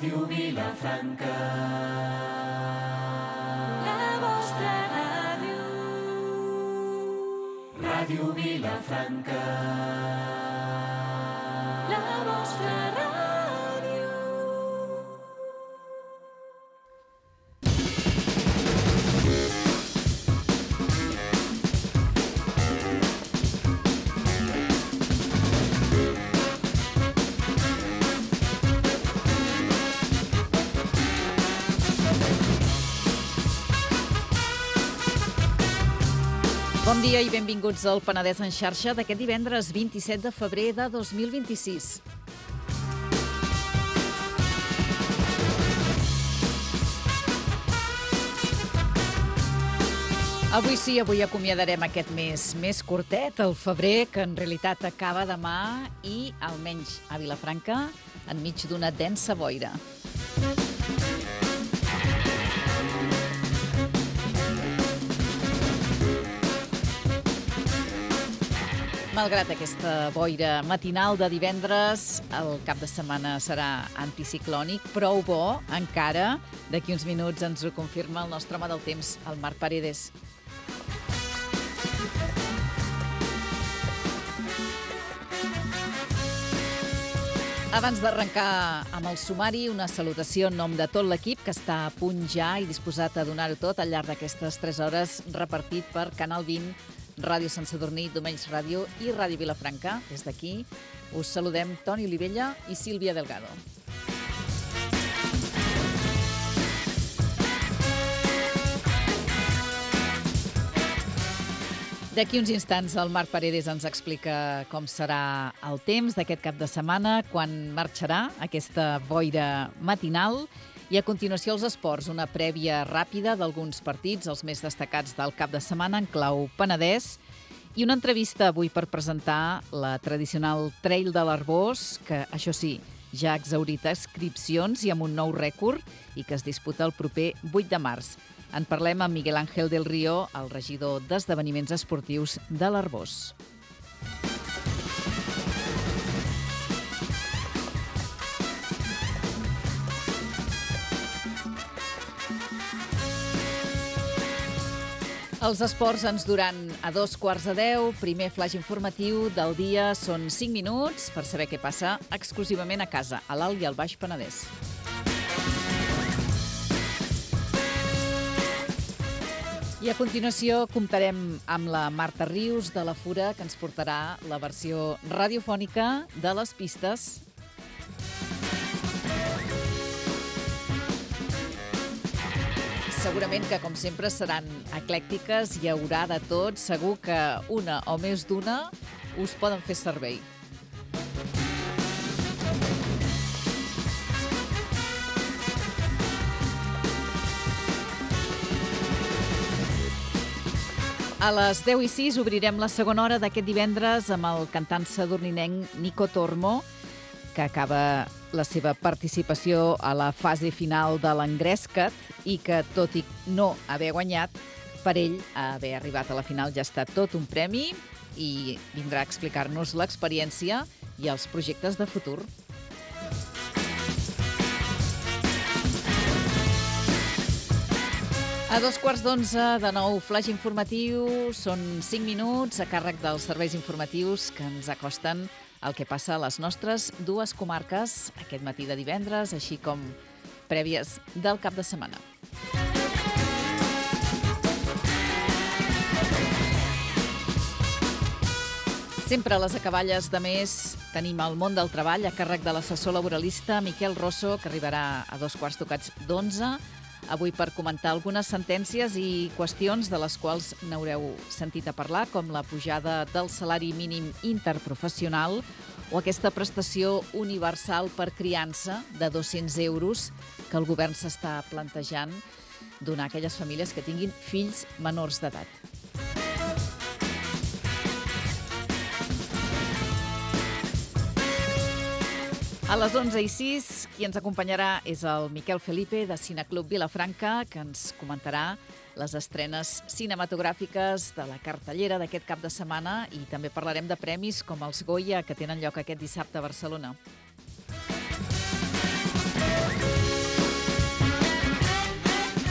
Ràdio Vilafranca. La vostra ràdio. Ràdio Vilafranca. La vostra ràdio. Bon dia i benvinguts al Penedès en xarxa d'aquest divendres 27 de febrer de 2026. Avui sí, avui acomiadarem aquest mes més curtet, el febrer, que en realitat acaba demà i, almenys a Vilafranca, enmig d'una densa boira. Malgrat aquesta boira matinal de divendres, el cap de setmana serà anticiclònic, prou bo, encara. D'aquí uns minuts ens ho confirma el nostre home del temps, el Marc Paredes. Abans d'arrencar amb el sumari, una salutació en nom de tot l'equip que està a punt ja i disposat a donar-ho tot al llarg d'aquestes 3 hores repartit per Canal 20, Ràdio Sant Sadurní, Domenys Ràdio i Ràdio Vilafranca. Des d'aquí us saludem Toni Olivella i Sílvia Delgado. D'aquí uns instants el Marc Paredes ens explica com serà el temps d'aquest cap de setmana, quan marxarà aquesta boira matinal. I a continuació els esports, una prèvia ràpida d'alguns partits, els més destacats del cap de setmana en clau Penedès, i una entrevista avui per presentar la tradicional Trail de l'Arboç, que, això sí, ja ha exhaurit inscripcions i amb un nou rècord i que es disputa el proper 8 de març. En parlem amb Miguel Ángel del Río, el regidor d'Esdeveniments Esportius de l'Arboç. Els esports ens duran a 9:45. Primer flaix informatiu del dia, són 5 minuts per saber què passa exclusivament a casa, a l'Alt i al Baix Penedès. I a continuació comptarem amb la Marta Rius de la Fura, que ens portarà la versió radiofònica de les pistes. Segurament que, com sempre, seran eclèctiques, hi haurà de tot. Segur que una o més d'una us poden fer servei. A les 10:06 obrirem la segona hora d'aquest divendres amb el cantant sadurninenc Nico Tormo, que acaba la seva participació a la fase final de l'Engrescat i que, tot i no haver guanyat, per ell haver arribat a la final ja ha estat tot un premi i vindrà a explicar-nos l'experiència i els projectes de futur. A 11:15, de nou, flaix informatiu. Són 5 minuts a càrrec dels serveis informatius que ens acosten el que passa a les nostres dues comarques aquest matí de divendres, així com prèvies del cap de setmana. Sempre a les acaballes de mes tenim el món del treball a càrrec de l'assessor laboralista Miquel Rosso, que arribarà a 11:15, avui per comentar algunes sentències i qüestions de les quals n'haureu sentit a parlar, com la pujada del salari mínim interprofessional o aquesta prestació universal per criança de 200 euros que el govern s'està plantejant donar a aquelles famílies que tinguin fills menors d'edat. A les 11:06, qui ens acompanyarà és el Miquel Felipe, de Cineclub Vilafranca, que ens comentarà les estrenes cinematogràfiques de la cartellera d'aquest cap de setmana i també parlarem de premis com els Goya, que tenen lloc aquest dissabte a Barcelona.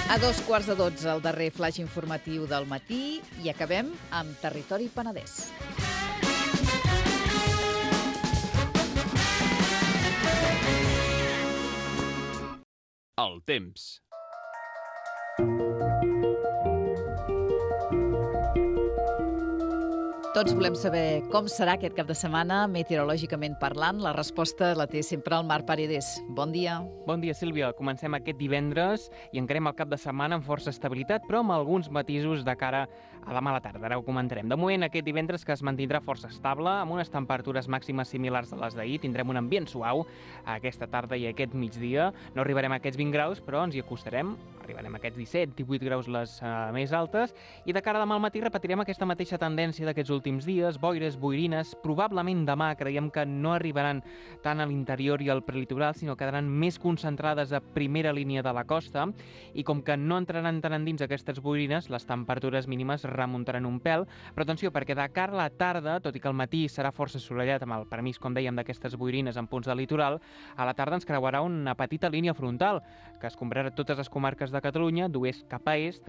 A 2:15, el darrer flash informatiu del matí i acabem amb Territori Penedès. El temps. Tots volem saber com serà aquest cap de setmana, meteorològicament parlant. La resposta la té sempre el Marc Paredes. Bon dia. Bon dia, Sílvia. Comencem aquest divendres i encarem el cap de setmana amb força estabilitat, però amb alguns matisos de cara a demà a la tarda. Ara ho comentarem. De moment, aquest divendres que es mantindrà força estable, amb unes temperatures màximes similars a les d'ahir. Tindrem un ambient suau aquesta tarda i aquest migdia. No arribarem a aquests 20 graus, però ens hi acostarem. Arribarem a aquests 17-18 graus les més altes. I de cara a demà al matí repetirem aquesta mateixa tendència d'aquests últims dies, boires, boirines. Probablement demà creiem que no arribaran tant a l'interior i al prelitoral, sinó quedaran més concentrades a primera línia de la costa, i com que no entraran tan endins aquestes boirines, les temperatures mínimes remuntaran un pèl. Però atenció, perquè de cara a la tarda, tot i que el matí serà força assolellat amb el permís, com dèiem, d'aquestes boirines en punts del litoral, a la tarda ens creuarà una petita línia frontal que es comprarà totes les comarques de Catalunya d'oest cap a est,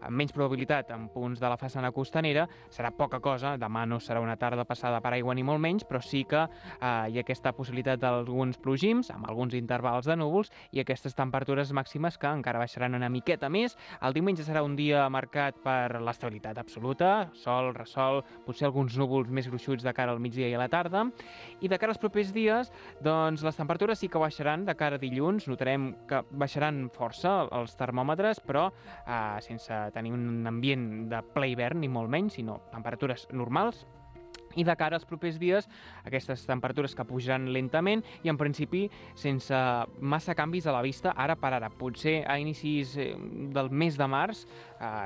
amb menys probabilitat en punts de la façana costanera. Serà poca cosa, demà no serà una tarda passada per aigua ni molt menys, però sí que hi ha aquesta possibilitat d'alguns plogims, amb alguns intervals de núvols, i aquestes temperatures màximes que encara baixaran una miqueta més. El diumenge serà un dia marcat per l'estabilitat absoluta, sol, ressol, potser alguns núvols més gruixuts de cara al migdia i a la tarda. I de cara als propers dies, doncs les temperatures sí que baixaran de cara a dilluns. Notarem que baixaran força els termòmetres, però sense tenir un ambient de ple hivern, ni molt menys, sinó temperatures normals. I de cara als propers dies, aquestes temperatures que pujaran lentament i, en principi, sense massa canvis a la vista, ara per ara. Potser a inicis del mes de març,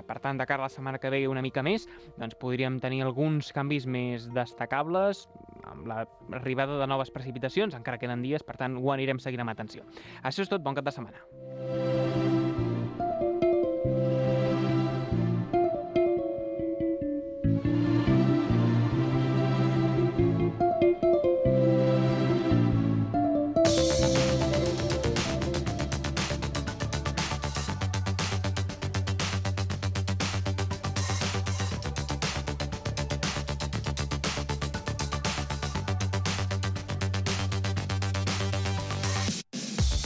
per tant, de cara a la setmana que ve una mica més, doncs podríem tenir alguns canvis més destacables, amb l'arribada de noves precipitacions. Encara queden dies, per tant, ho anirem seguint amb atenció. Això és tot, bon cap de setmana.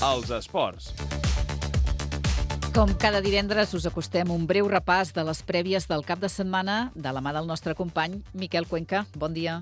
Els esports. Com cada divendres us acostem un breu repàs de les prèvies del cap de setmana de la mà del nostre company Miquel Cuenca. Bon dia.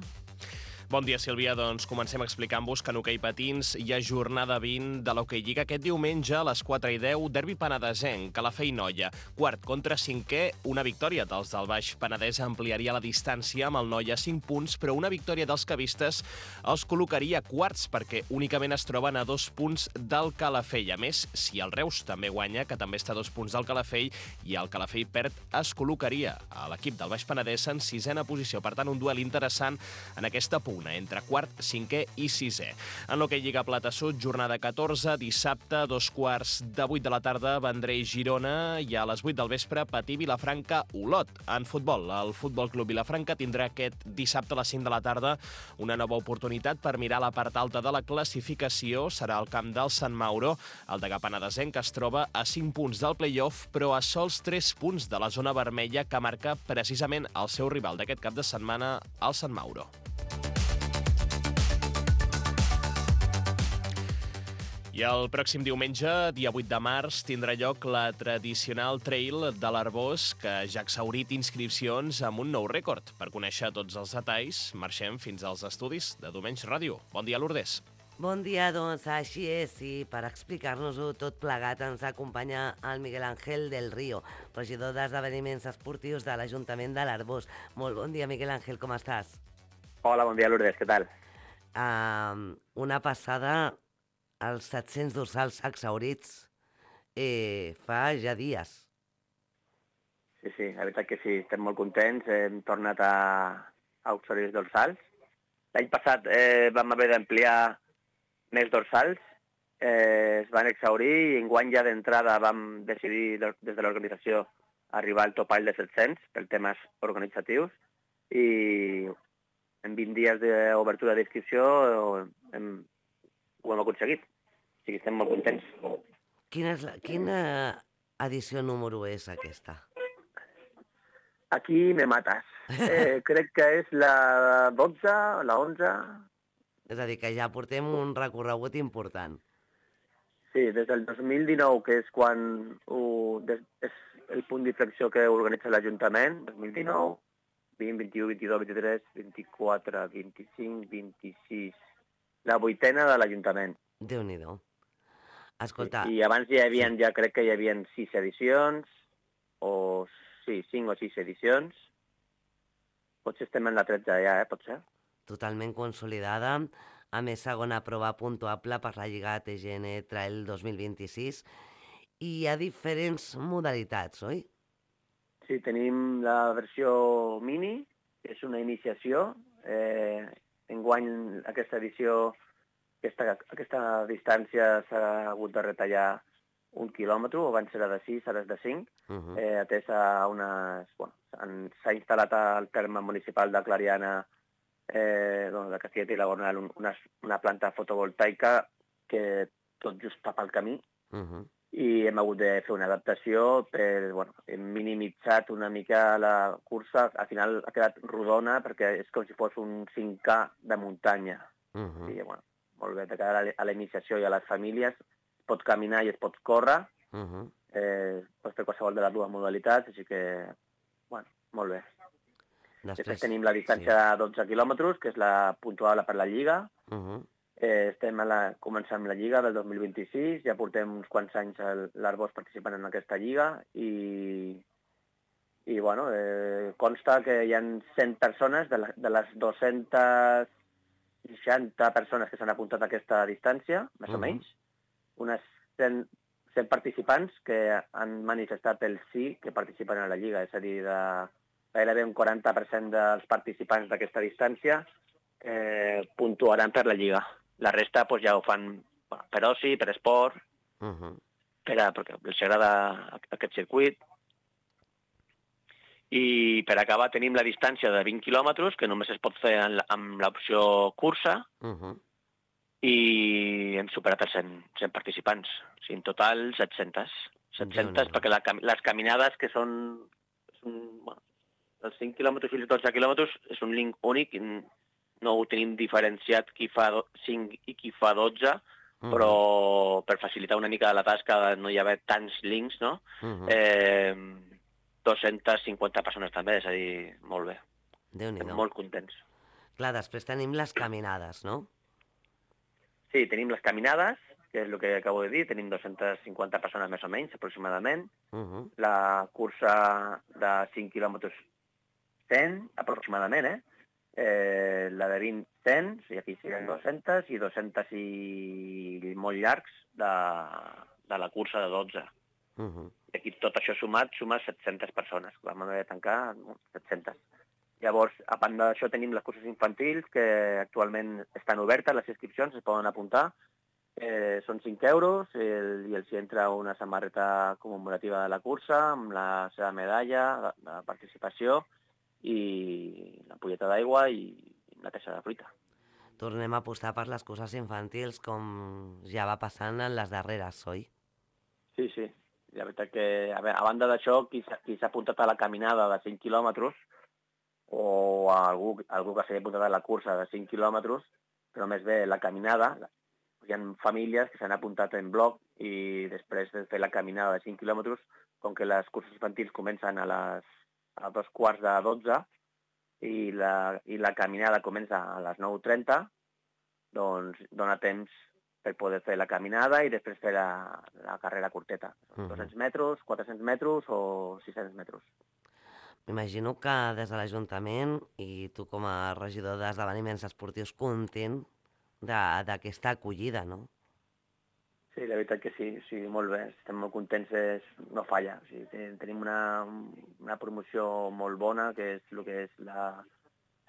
Bon dia, Sílvia. Doncs comencem explicant-vos que en hoquei patins hi ha jornada 20 de l'Hoquei Lliga aquest diumenge a les 4:10, derbi penedesenc, Calafell Noia. Quart contra cinquè, una victòria dels del Baix Penedès ampliaria la distància amb el Noia a 5 punts, però una victòria dels cavistes els col·locaria quarts perquè únicament es troben a 2 punts del Calafell. A més, si el Reus també guanya, que també està a 2 punts del Calafell, i el Calafell perd, es col·locaria a l'equip del Baix Penedès en 6a posició. Per tant, un duel interessant en aquesta pugna entre quart, cinquè i sisè. En l'Hoquei Lliga Plata Sud, jornada 14, dissabte, 2:15 de la tarda, Vendrell Girona, i a les 8 del vespre, Patí Vilafranca Olot. En futbol, el Futbol Club Vilafranca tindrà aquest dissabte a les 5 de la tarda una nova oportunitat per mirar la part alta de la classificació. Serà al camp del Sant Mauro. El Degà Penedesenc es troba a 5 punts del play-off, però a sols 3 punts de la zona vermella que marca precisament el seu rival d'aquest cap de setmana, el Sant Mauro. I el pròxim diumenge, dia 8 de març, tindrà lloc la tradicional Trail de l'Arbós, que ja ha exhaurit inscripcions amb un nou rècord. Per conèixer tots els detalls, marxem fins als estudis de Domenys Ràdio. Bon dia, Lourdes. Bon dia, doncs així és, i per explicar-nos-ho tot plegat ens acompanya el Miguel Ángel del Río, regidor d'Esdeveniments Esportius de l'Ajuntament de l'Arbós. Molt bon dia, Miguel Ángel, com estàs? Hola, bon dia, Lourdes, què tal? Una passada, els 700 dorsals exhaurits fa ja dies. Sí, la veritat que sí, estem molt contents, hem tornat a exhaurir els dorsals. L'any passat vam haver d'ampliar més dorsals, es van exhaurir, i enguany ja d'entrada vam decidir des de l'organització arribar al topall de 700 per temes organitzatius, i en 20 dies d'obertura d'inscripció ho hem aconseguit. O sigui, estem molt contents. Quina edició número és aquesta? Aquí me mates. Crec que és la 12, la 11... És a dir, que ja portem un recorregut important. Sí, des del 2019, que és quan és el punt d'inflexió que organitza l'Ajuntament, 2019, 20, 21, 22, 23, 24, 25, 26... La 8a de l'Ajuntament. Déu-n'hi-do. Escolta... I abans ja crec que hi havia 6 edicions, o sí, 5 o 6 edicions. Potser estem en la 13 ja, potser. Totalment consolidada, a més segona prova puntuable per la Lliga TGN Trail 2026 i hi ha diferents modalitats, oi? Sí, tenim la versió mini, que és una iniciació. Enguany aquesta edició, aquesta distància s'ha hagut de retallar 1 quilòmetre, abans era de 6, ara és de 5, atès a unes... Bueno, s'ha instal·lat al terme municipal de Clariana de Castellet i la Gornal una planta fotovoltaica que tot just tapa el camí i hem hagut de fer una adaptació hem minimitzat una mica la cursa, al final ha quedat rodona perquè és com si fos un 5K de muntanya. I, bueno, molt bé, de cara a la iniciació i a les famílies es pot caminar i es pot córrer, pots fer qualsevol de les dues modalitats, així que, bueno, molt bé. Després tenim la distància de 12 quilòmetres, que és la puntuable per la Lliga. Estem començant amb la Lliga del 2026, ja portem uns quants anys l'Arbós participant en aquesta Lliga i bueno, consta que hi ha 100 persones, de les 260 persones que s'han apuntat a aquesta distància, més o menys, unes 100 participants que han manifestat el sí que participen a la Lliga, és a dir, gairebé un 40% dels participants d'aquesta distància puntuaran per la Lliga. La resta ja ho fan per oci, per esport, perquè els agrada aquest circuit. I per acabar tenim la distància de 20 quilòmetres, que només es pot fer amb l'opció cursa, i hem superat els 100 participants. O sigui, en total 700. 700 perquè les caminades, que són els 5 quilòmetres i els 12 quilòmetres, és un link únic, no ho tenim diferenciat qui fa 5 i qui fa 12, però per facilitar una mica la tasca de no hi haver tants links, no? 250 persones també, és a dir, molt bé. Déu-n'hi-do. Molt contents. Clar, després tenim les caminades, no? Sí, tenim les caminades, que és el que acabo de dir, tenim 250 persones més o menys, aproximadament. La cursa de 5 quilòmetres 100, aproximadament, la de 20, 100, o sigui, aquí serien 200, i 200 i molt llargs de la cursa de 12. I aquí tot això sumat suma 700 persones. Vam haver de tancar 700. Llavors, a banda d'això, tenim les curses infantils, que actualment estan obertes, les inscripcions es poden apuntar. Són 5 euros i els hi entra una samarreta commemorativa de la cursa, amb la seva medalla de participació, i la ampolleta d'aigua i una peça de fruita. Tornem a apostar per les curses infantils com ja va passant en les darreres, oi? Sí, sí. La veritat que, a banda d'això, qui s'ha apuntat a la caminada de 5 quilòmetres o algú que s'ha apuntat a la cursa de 5 quilòmetres, però més bé la caminada, hi ha famílies que s'han apuntat en bloc i després de fer la caminada de 5 quilòmetres, com que les curses infantils comencen a 2:45 i la caminada comença a les 9:30, doncs dona temps per poder fer la caminada i després fer la carrera curteta. 200 metres, 400 metres o 600 metres. M'imagino que des de l'Ajuntament i tu com a regidor d'esdeveniments esportius content d'aquesta acollida, no? Sí, la veritat que sí, molt bé. Estem molt contents, no falla. O sigui, tenim una promoció molt bona, que és el que és la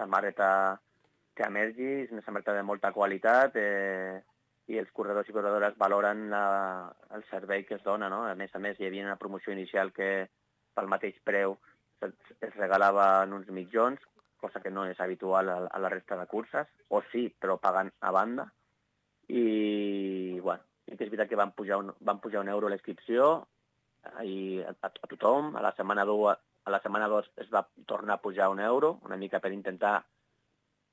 samarreta que emergi, és una samarreta de molta qualitat, i els corredors i corredores valoren el servei que es dona, no? A més, hi havia una promoció inicial que pel mateix preu es regalaven uns mitjons, cosa que no és habitual a la resta de curses, o sí, però pagant a banda. I, bueno, sí que és veritat que van pujar €1 la inscripció a tothom. A la setmana 2 es va tornar a pujar €1, una mica per intentar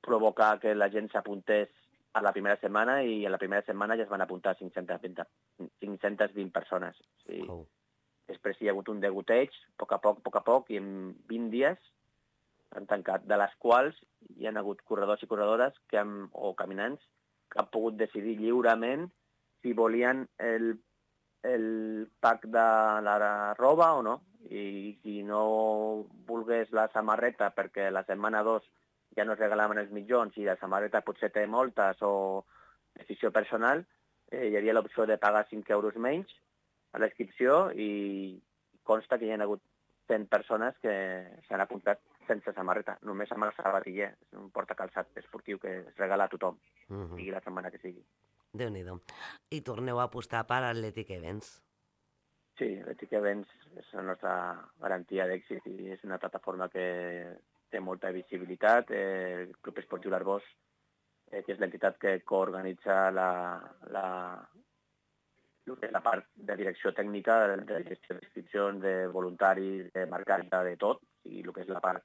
provocar que la gent s'apuntés a la primera setmana, i a la primera setmana ja es van apuntar 520 persones. Sí. Oh. Després hi ha hagut un degoteig, a poc, i en 20 dies han tancat, de les quals hi ha hagut corredors i corredores o caminants que han pogut decidir lliurement si volien el pack de la roba o no. I si no volgués la samarreta perquè la setmana 2 ja no es regalaven els mitjons i la samarreta potser té moltes o decisió personal, hi havia l'opció de pagar €5 menys a la inscripció, i consta que hi ha hagut 100 persones que s'han apuntat sense samarreta, només amb el sabatiller. És un portacalçat esportiu que es regala a tothom, sigui la setmana que sigui. Déu-n'hi-do. I torneu a apostar per Athletic Events. Sí, Athletic Events és la nostra garantia d'èxit i és una plataforma que té molta visibilitat. El Club Esportiu l'Arboç, que és l'entitat que coorganitza la part de direcció tècnica, de gestió d'inscripcions, de voluntaris, de marcatge, de tot, i el que és la part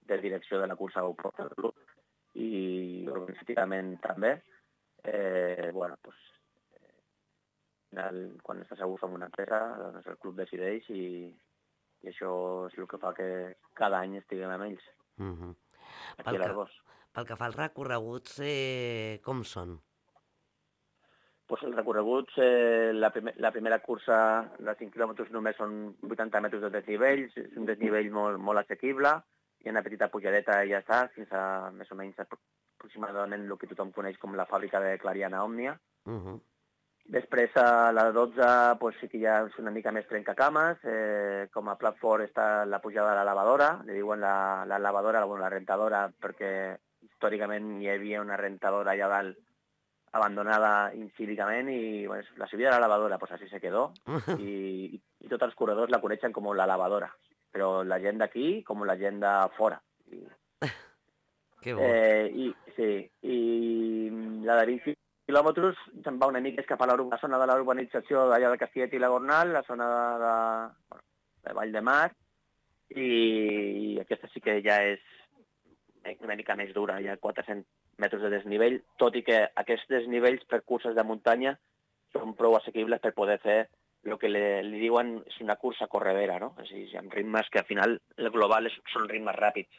de direcció de la cursa ho porta el club, i organitzativament també. Quan estàs a gust amb una empresa, doncs el club decideix, i això és el que fa que cada any estiguem amb ells, aquí a l'Arboç. Pel que fa als recorreguts, com són? Els recorreguts, la primera cursa de 5 quilòmetres només són 80 metres de desnivells, és un desnivell molt assequible, hi ha una petita pujadeta i ja està, fins a més o menys aproximadament el que tothom coneix com la fàbrica de Clariana Òmnia. Després, a la 12, sí que ja és una mica més trencacames. Com a plat fort està la pujada de la lavadora, li diuen la lavadora, la rentadora, perquè històricament hi havia una rentadora allà dalt abandonada incívicament, i la subida de la lavadora, pues así se quedó, i tots els corredors la coneixen com la lavadora, però la gent d'aquí com la gent de fora. Que bo. I la de 20 quilòmetres se'n va una mica cap a la zona de la urbanització d'allà de Castellet i la Gornal, la zona de Vall de Mar, i aquesta sí que ja és una mica més dura, hi ha 400 metres de desnivell, tot i que aquests desnivells per curses de muntanya són prou assequibles per poder fer el que li diuen és una cursa corredera, no? És a dir, amb ritmes que al final el global són ritmes ràpids.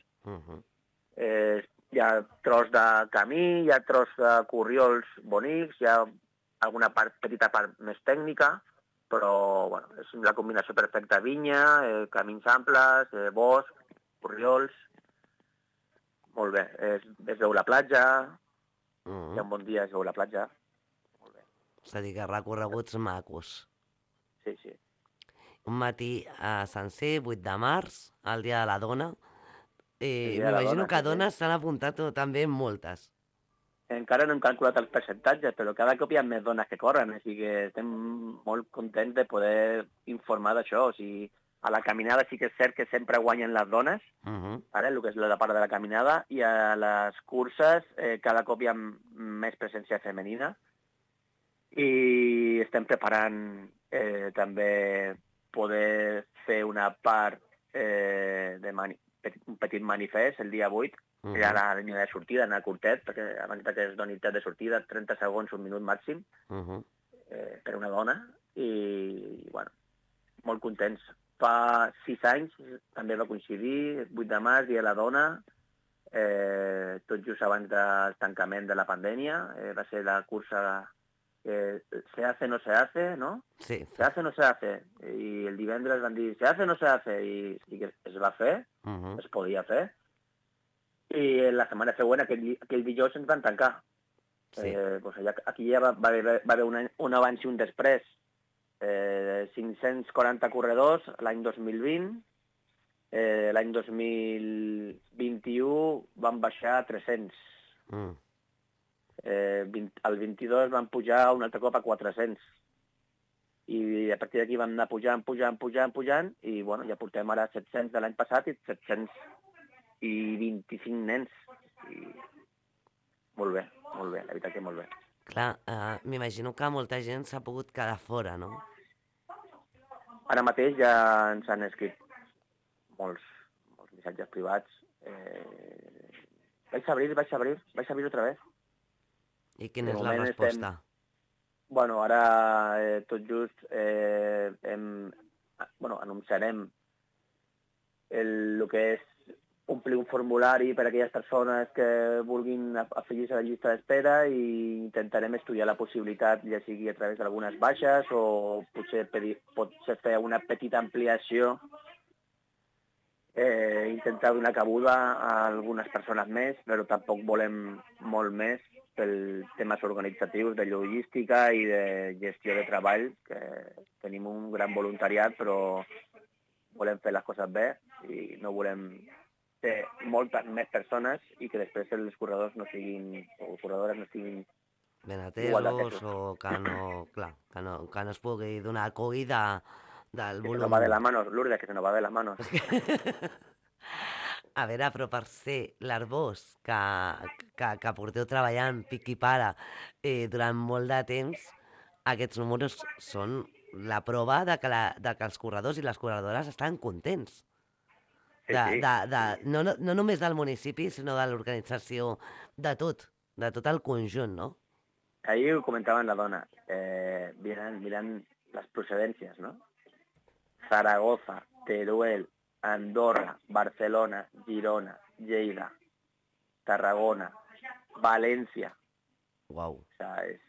Hi ha tros de camí, hi ha tros de corriols bonics, hi ha alguna petita part més tècnica, però és la combinació perfecta: vinya, camins amples, bosc, corriols. Molt bé, es veu la platja, hi ha un bon dia, es veu la platja. Molt bé. És a dir, que recorreguts macos. Sí. Un matí sencer, 8 de març, el dia de la dona. dia de la M'imagino dona, que sí. dones s'han apuntat també moltes. Encara no hem calculat els percentatges, però cada cop hi ha més dones que corren, així que estem molt contents de poder informar d'això. O sigui, a la caminada sí que és cert que sempre guanyen les dones, ara, el que és la part de la caminada, i a les curses cada cop hi ha més presència femenina, i estem preparant també poder fer una part un petit manifest el dia 8, que hi ha la línia de sortida, anar curtet, perquè abans que es doni temps de sortida, 30 segons, un minut màxim, per una dona, i, molt contents. Fa 6 anys també va coincidir, 8 de març, dia de la dona, tot just abans del tancament de la pandèmia, va ser la cursa se hace, no se hace, ¿no? Sí. Se hace, no se hace. I el divendres van dir, se hace, no se hace, i que es va fer, es podia fer. I la setmana següent, aquell dijous, ens van tancar. Sí. Aquí ja va haver un abans i un després. 540 corredors l'any 2020, l'any 2021 van baixar a 300. El 22 van pujar un altre cop a 400. I a partir d'aquí vam anar pujant, i ja portem ara 700 de l'any passat i 725 nens. I molt bé, la veritat que molt bé. Clar, m'imagino que molta gent s'ha pogut quedar fora, no? Ara mateix ja ens han escrit molts missatges privats. Vaig a abrir otra vez. I quina és la resposta? Bueno, ara tot just anunciarem el que és omplir un formulari per a aquelles persones que vulguin afegir-se a la llista d'espera i intentarem estudiar la possibilitat, ja sigui a través d'algunes baixes o potser fer una petita ampliació, intentar donar cabuda a algunes persones més, però tampoc volem molt més per temes organitzatius, de logística i de gestió de treball, que tenim un gran voluntariat, però volem fer les coses bé i no volem fer moltes més persones i que després els corredors no siguin, o corredores no siguin ben atesos o que no es pugui donar acollida del volum. Que se nos va de las manos, Lourdes, que se nos va de las manos. A veure, però per ser l'Arbós que porteu treballant pic i para durant molt de temps, aquests números són la prova de que els corredors i les corredores estan contents. No només del municipi, sinó de l'organització, de tot el conjunt, no? Ahir ho comentaven la dona, mirant les procedències, no? Zaragoza, Teruel, Andorra, Barcelona, Girona, Lleida, Tarragona, València. Uau. O sigui,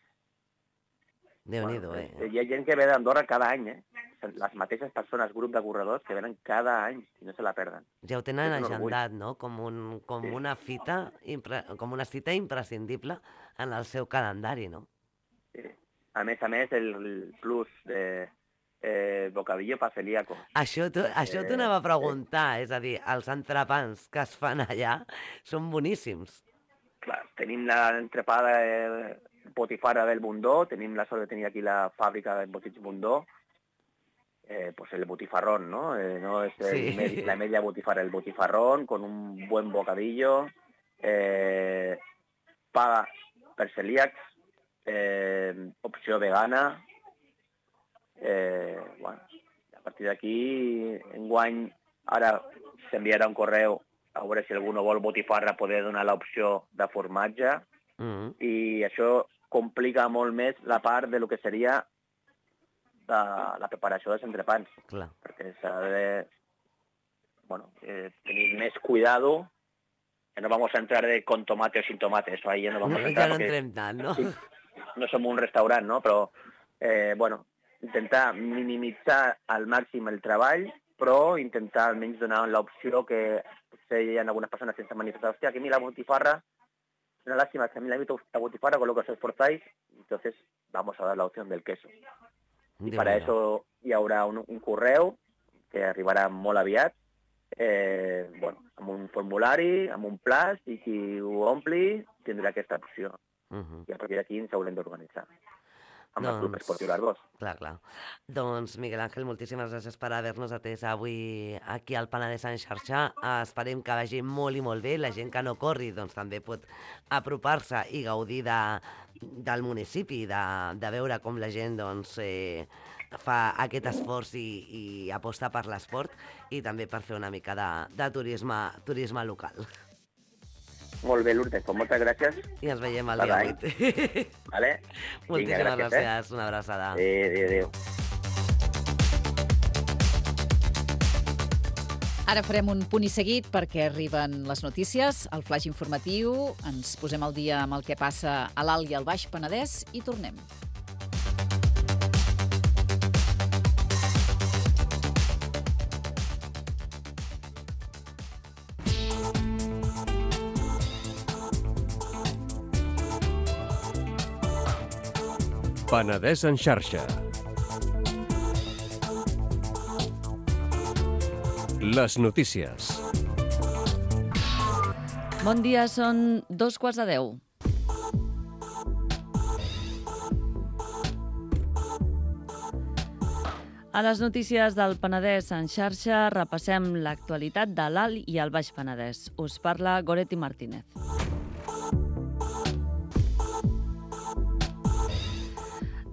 Déu-n'hi-do, hi ha gent que ve d'Andorra cada any, les mateixes persones, grup de corredors, que venen cada any i no se la perden. Ja ho tenen agendat, no? Com una cita imprescindible en el seu calendari, no? Sí. A més, el plus de bocadillo pa celíaco. Això t'ho anava a preguntar, és a dir, els entrepans que es fan allà són boníssims. Clar, tenim l'entrepada botifarra del Bundó, tenim la sort de tenir aquí la fàbrica de botits Bundó, pues el botifarrón, ¿no? No es la media botifarra, el botifarrón con un buen bocadillo, paga per celíacs, opció vegana. Bueno, a partir d'aquí, enguany, ara s'enviarà un correu a veure si algú no vol botifarra, poder donar l'opció de formatge, i això complica molt més la part de lo que seria de la preparació dels entrepans. Clar. Perquè s'ha de tenir més cuidado, que no vamos a entrar con tomate o sin tomate, eso ahí no vamos a entrar. Ja no entrem tant, no? No som un restaurant, no? Però, intentar minimitzar al màxim el treball, però intentar almenys donar l'opció que potser hi ha algunes persones sense manifestar, hòstia, que a mi la botifarra, una lástima, que a mí la botifarra con lo que os esforzáis, entonces vamos a dar la opción del queso. Y para eso hi haurà un correu que arribarà molt aviat, amb un formulari, amb un plaç, i qui ho ompli tindrà aquesta opció. I a partir d'aquí ens haurem d'organitzar amb el Club Esportiu l'Arbós. Clar. Doncs, Miguel Ángel, moltíssimes gràcies per haver-nos atès avui aquí al Penedès en xarxa. Esperem que vagi molt i molt bé. La gent que no corri doncs, també pot apropar-se i gaudir del municipi, de veure com la gent fa aquest esforç i aposta per l'esport, i també per fer una mica de turisme local. Molt bé, Lourdes, doncs moltes gràcies. I ens veiem el dia 8. Vale? Moltíssimes gràcies, una abraçada. Adéu. Ara farem un punt i seguit perquè arriben les notícies, el flaix informatiu, ens posem al dia amb el que passa a l'Alt i al Baix Penedès i tornem. Penedès en xarxa. Les notícies. Bon dia, són 9:45. A les notícies del Penedès en xarxa repassem l'actualitat de l'Alt i el Baix Penedès. Us parla Goretti Martínez.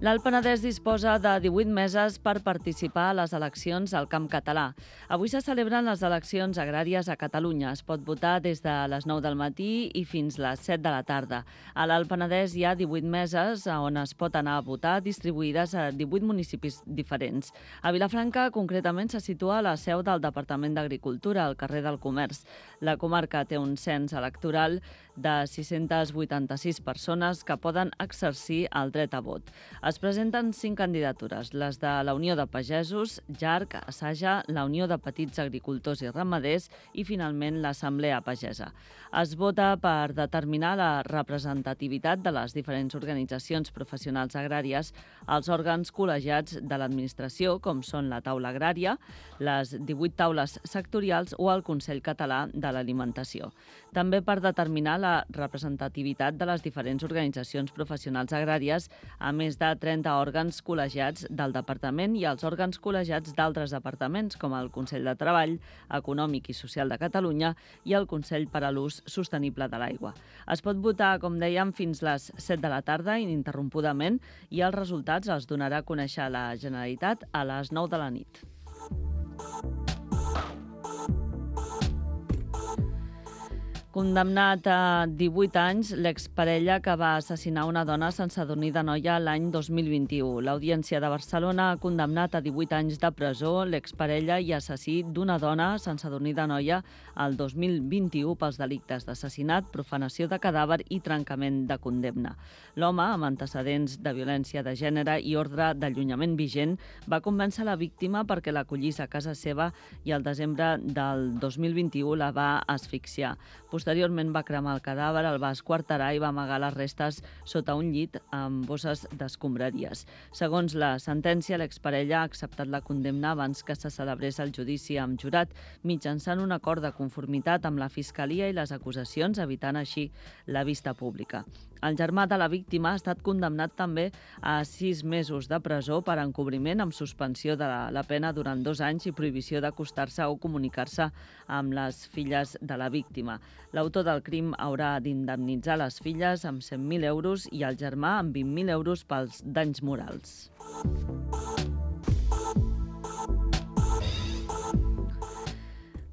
L'Alt Penedès disposa de 18 meses per participar a les eleccions al Camp Català. Avui se celebren les eleccions agràries a Catalunya. Es pot votar des de les 9 del matí i fins les 7 de la tarda. A l'Alt Penedès hi ha 18 meses on es pot anar a votar, distribuïdes a 18 municipis diferents. A Vilafranca, concretament, se situa la seu del Departament d'Agricultura, al carrer del Comerç. La comarca té un cens electoral de 686 persones que poden exercir el dret a vot. Es presenten 5 candidatures, les de la Unió de Pagesos, JARC, Saja, la Unió de Petits Agricultors i Ramaders i, finalment, l'Assemblea Pagesa. Es vota per determinar la representativitat de les diferents organitzacions professionals agràries als òrgans col·legiats de l'administració, com són la Taula Agrària, les 18 taules sectorials o el Consell Català de l'Alimentació. També per determinar la representativitat de les diferents organitzacions professionals agràries, a més de 30 òrgans col·legiats del Departament i els òrgans col·legiats d'altres departaments, com el Consell de Treball, Econòmic i Social de Catalunya i el Consell per a l'Ús Sostenible de l'Aigua. Es pot votar, com dèiem, fins les 7 de la tarda, ininterrompudament, i els resultats els donarà a conèixer la Generalitat a les 9 de la nit. Condemnat a 18 anys, l'exparella que va assassinar una dona a Sant Sadurní d'Anoia l'any 2021. L'Audiència de Barcelona ha condemnat a 18 anys de presó l'exparella i assassí d'una dona a Sant Sadurní d'Anoia el 2021 pels delictes d'assassinat, profanació de cadàver i trencament de condemna. L'home, amb antecedents de violència de gènere i ordre d'allunyament vigent, va convèncer la víctima perquè l'acollís a casa seva i al desembre del 2021 la va asfixiar. Posteriorment va cremar el cadàver, el va esquarterar i va amagar les restes sota un llit amb bosses d'escombraries. Segons la sentència, l'exparella ha acceptat la condemna abans que se celebrés el judici amb jurat, mitjançant un acord de conformitat amb la Fiscalia i les acusacions, evitant així la vista pública. El germà de la víctima ha estat condemnat també a 6 mesos de presó per encobriment amb suspensió de la pena durant 2 anys i prohibició d'acostar-se o comunicar-se amb les filles de la víctima. L'autor del crim haurà d'indemnitzar les filles amb 100.000 euros i el germà amb 20.000 euros pels danys morals.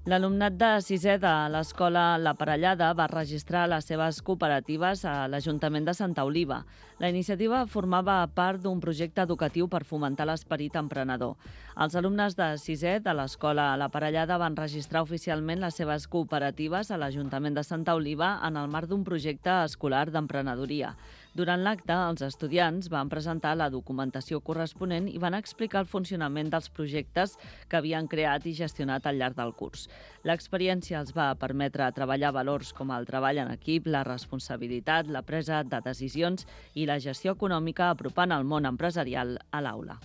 L'alumnat de 6è de l'escola La Parellada va registrar les seves cooperatives a l'Ajuntament de Santa Oliva. La iniciativa formava part d'un projecte educatiu per fomentar l'esperit emprenedor. Els alumnes de 6è de l'escola La Parellada van registrar oficialment les seves cooperatives a l'Ajuntament de Santa Oliva en el marc d'un projecte escolar d'emprenedoria. Durant l'acte, els estudiants van presentar la documentació corresponent i van explicar el funcionament dels projectes que havien creat i gestionat al llarg del curs. L'experiència els va permetre treballar valors com el treball en equip, la responsabilitat, la presa de decisions i la gestió econòmica, apropant el món empresarial a l'aula.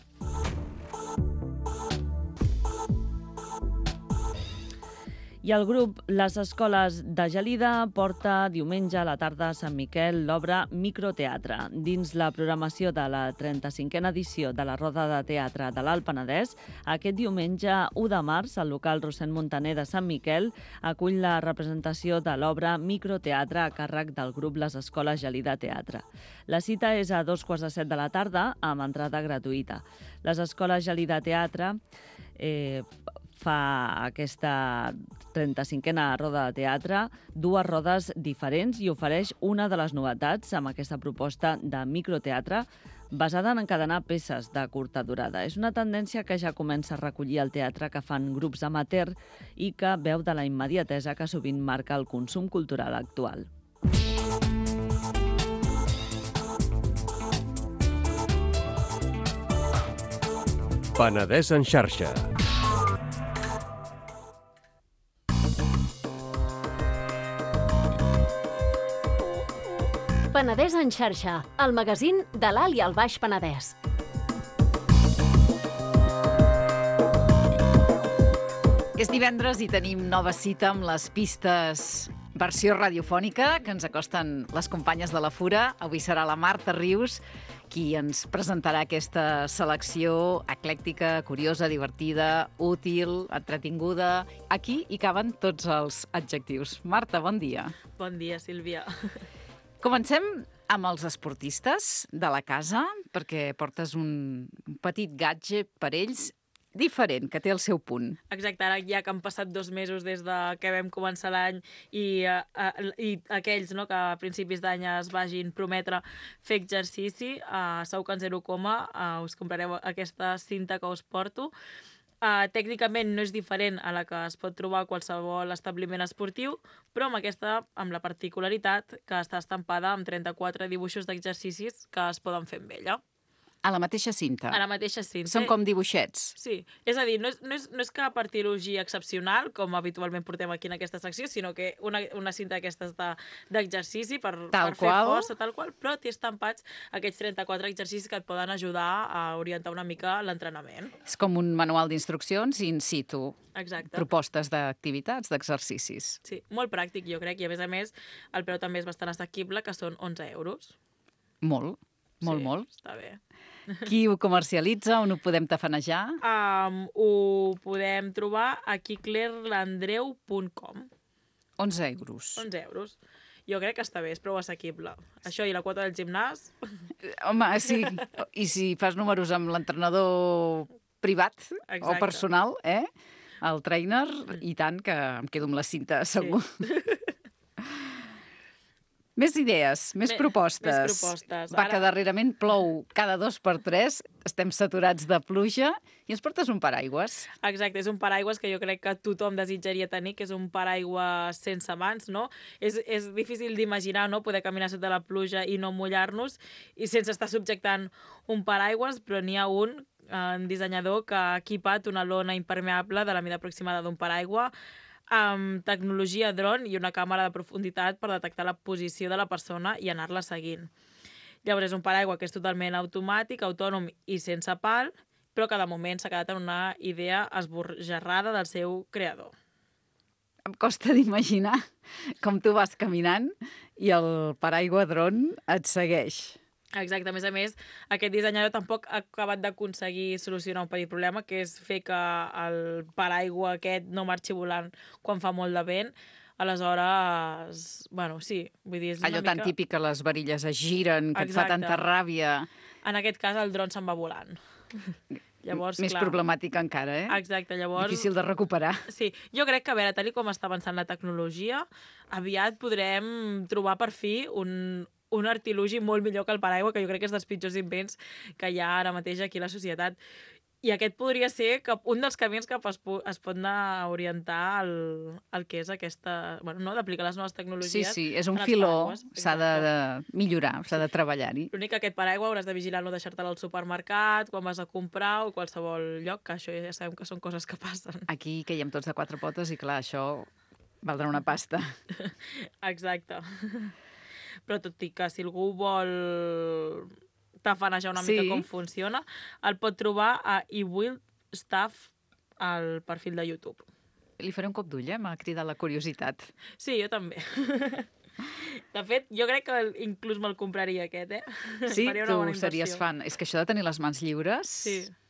I el grup Les Escoles de Gelida porta diumenge a la tarda a Sant Miquel l'obra Microteatre. Dins la programació de la 35a edició de la Roda de Teatre de l'Alt Penedès, aquest diumenge 1 de març, el local Rossend Montaner de Sant Miquel acull la representació de l'obra Microteatre a càrrec del grup Les Escoles Gelida Teatre. La cita és a 2:15 de la tarda amb entrada gratuïta. Les Escoles Gelida Teatre fa aquesta 35a roda de teatre, 2 rodes diferents i ofereix una de les novetats amb aquesta proposta de microteatre basada en encadenar peces de curta durada. És una tendència que ja comença a recollir el teatre que fan grups amateur i que veu de la immediatesa que sovint marca el consum cultural actual. Penedès en xarxa. Penedès en xarxa, el magazín de l'Alt i el Baix Penedès. És divendres i tenim nova cita amb les pistes versió radiofònica que ens acosten les companyes de la Fura. Avui serà la Marta Rius qui ens presentarà aquesta selecció eclèctica, curiosa, divertida, útil, entretinguda. Aquí hi caben tots els adjectius. Marta, bon dia. Bon dia, Sílvia. Comencem amb els esportistes de la casa, perquè portes un petit gadget per ells diferent, que té el seu punt. Exacte, ara ja que han passat 2 mesos des de que vam començar l'any i aquells no, que a principis d'any es vagin prometre fer exercici, segur que en 0, us comprareu aquesta cinta que us porto. Tècnicament no és diferent a la que es pot trobar a qualsevol establiment esportiu, però amb aquesta, amb la particularitat que està estampada amb 34 dibuixos d'exercicis que es poden fer amb ella. A la mateixa cinta? A la mateixa cinta. Són com dibuixets? Sí. És a dir, no és cap artilogia excepcional, com habitualment portem aquí en aquesta secció, sinó que una cinta d'aquestes d'exercici per fer força, tal qual, però té estampats aquests 34 exercicis que et poden ajudar a orientar una mica l'entrenament. És com un manual d'instruccions in situ. Exacte. Propostes d'activitats, d'exercicis. Sí, molt pràctic, jo crec, i a més, el preu també és bastant assequible, que són 11 euros. Molt. Molt. Està bé. Qui ho comercialitza? On ho podem tafanejar? Ho podem trobar a kiklerlandreu.com. 11 euros. 11 euros. Jo crec que està bé, és prou assequible. Això i la quota del gimnàs... Home, sí. I si fas números amb l'entrenador privat o personal, el trainer, i tant que em quedo amb la cinta, segur. Sí. Més idees, més propostes. Més propostes. Va, que darrerament plou cada 2 per 3, estem saturats de pluja, i ens portes un paraigües. Exacte, és un paraigües que jo crec que tothom desitjaria tenir, que és un paraigües sense mans, no? És difícil d'imaginar, no?, poder caminar sota la pluja i no mullar-nos, i sense estar subjectant un paraigües, però n'hi ha un dissenyador que ha equipat una lona impermeable de la mida aproximada d'un paraigua, amb tecnologia dron i una càmera de profunditat per detectar la posició de la persona i anar-la seguint. Llavors és un paraigua que és totalment automàtic, autònom i sense pal, però que de moment s'ha quedat en una idea esbojarrada del seu creador. Em costa d'imaginar com tu vas caminant i el paraigua dron et segueix. Exacte, a més, aquest dissenyador tampoc ha acabat d'aconseguir solucionar un petit problema, que és fer que el paraigua aquest no marxi volant quan fa molt de vent. Aleshores, bueno, sí, vull dir, és una allò mica... tan típic que les varilles es giren, que et fa tanta ràbia. En aquest cas, el dron se'n va volant. Llavors, més problemàtic encara, Exacte, llavors... Difícil de recuperar. Sí, jo crec que, a veure, tal com està avançant la tecnologia, aviat podrem trobar per fi un artilugi molt millor que el paraigua, que jo crec que és dels pitjors invents que hi ha ara mateix aquí a la societat. I aquest podria ser un dels camins que es pot anar a orientar el que és aquesta... Bueno, no, d'aplicar les noves tecnologies. Sí, és un filó, s'ha de millorar, s'ha de treballar-hi. L'únic que aquest paraigua hauràs de vigilar no deixar-te'l al supermercat, quan vas a comprar o qualsevol lloc, que això ja sabem que són coses que passen. Aquí caiem tots de 4 potes i, clar, això valdrà una pasta. Exacte. Però tot i que si algú vol tafanejar una mica com funciona, el pot trobar a iWillStuff al perfil de YouTube. Li faré un cop d'ull, m'ha cridat la curiositat. Sí, jo també. De fet, jo crec que inclús me'l compraria aquest, Sí, tu series fan. És que això de tenir les mans lliures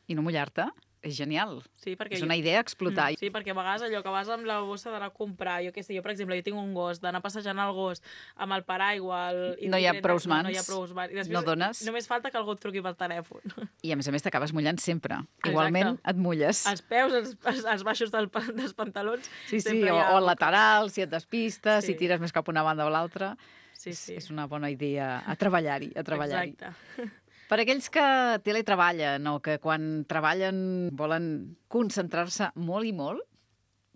i no mullar-te és genial. Sí, és una idea a explotar. Sí, perquè a vegades allò que vas amb la bossa d'anar a comprar, jo què sé, jo per exemple, jo tinc un gos, d'anar passejant el gos amb el paraigua... No hi ha prous mans, no hi ha prous mans. I després, no dones. Només falta que algú et truqui pel telèfon. I a més t'acabes mullant sempre. Igualment et mulles. Els peus, els baixos dels pantalons... Sí, o el lateral, si et despistes, si tires més cap a una banda o l'altra. Sí. És una bona idea a treballar-hi. Exacte. Per aquells que teletreballen o que quan treballen volen concentrar-se molt i molt,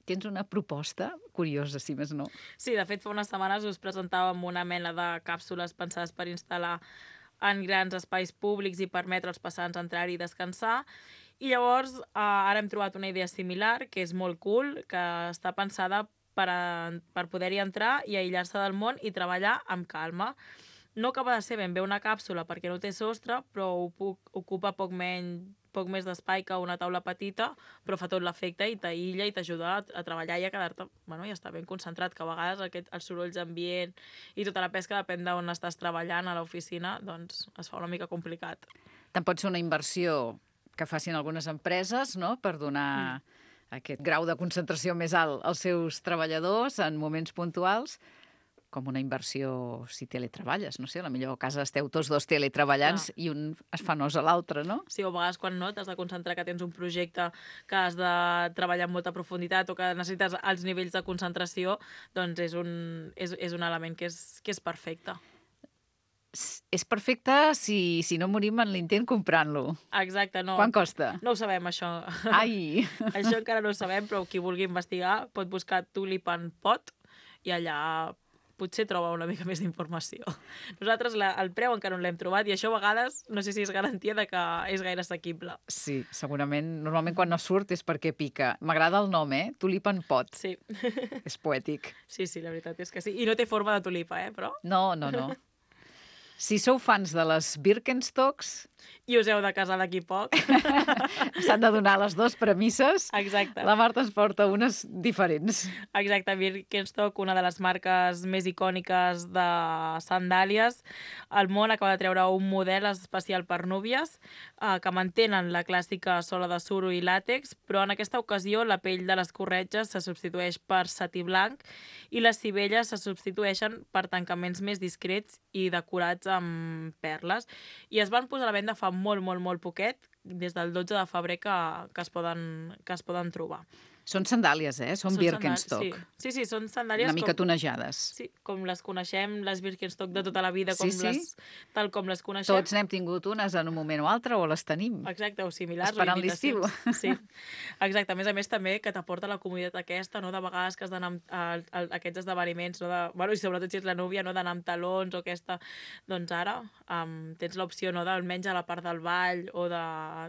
tens una proposta curiosa, si més no. Sí, de fet, fa unes setmanes us presentàvem una mena de càpsules pensades per instal·lar en grans espais públics i permetre als passants entrar-hi i descansar. I llavors ara hem trobat una idea similar, que és molt cool, que està pensada per poder-hi entrar i aïllar-se del món i treballar amb calma. No acaba de ser ben bé una càpsula perquè no té sostre, però ocupa poc més d'espai que una taula petita, però fa tot l'efecte i t'aïlla i t'ajuda a treballar i a quedar-te, i estar ben concentrat, que a vegades els sorolls d'ambient i tota la pesca depèn d'on estàs treballant a l'oficina, doncs es fa una mica complicat. Tant pot ser una inversió que facin algunes empreses, no?, per donar aquest grau de concentració més alt als seus treballadors en moments puntuals, com una inversió si teletreballes, no sé, a la millor a casa esteu tots dos teletreballant i un es fa nos a l'altre, no? Sí, o a vegades quan no, t'has de concentrar que tens un projecte que has de treballar amb molta profunditat o que necessites alts nivells de concentració, doncs és un element que és perfecte. És perfecte si no morim en l'intent comprant-lo. Exacte, no. Quant costa? No ho sabem, això. Ai! Això encara no ho sabem, però qui vulgui investigar pot buscar Tulipan Pot i allà potser troba una mica més d'informació. Nosaltres el preu encara no l'hem trobat i això a vegades no sé si és garantia de que és gaire assequible. Sí, segurament. Normalment quan no surt és perquè pica. M'agrada el nom, Tulipan Pot. Sí. És poètic. Sí, la veritat és que sí. I no té forma de tulipa, però... No. Si sou fans de les Birkenstocks... I us heu de casar d'aquí poc. S'han de donar les dues premisses. Exacte. La Marta ens porta unes diferents. Exacte, Birkenstock, una de les marques més icòniques de sandàlies. El món acaba de treure un model especial per núvies que mantenen la clàssica sola de suro i làtex, però en aquesta ocasió la pell de les corretges se substitueix per setí blanc i les sivelles se substitueixen per tancaments més discrets i decorats amb perles. I es van posar a la venda fa molt poquet, des del 12 de febrer que es poden trobar. Són sandàlies, Són Birkenstock. Sí, són sandàlies... Una mica tonejades. Sí, com les coneixem, les Birkenstock de tota la vida, tal com les coneixem. Tots n'hem tingut unes en un moment o altre, o les tenim. Exacte, o similars. Esperant l'estiu. Sí, exacte. A més també que t'aporta la comoditat aquesta, no? De vegades que has d'anar a aquests esdeveniments, i sobretot si ets la núvia, no? D'anar amb talons o aquesta... Doncs ara tens l'opció, no? D'almenys a la part del ball o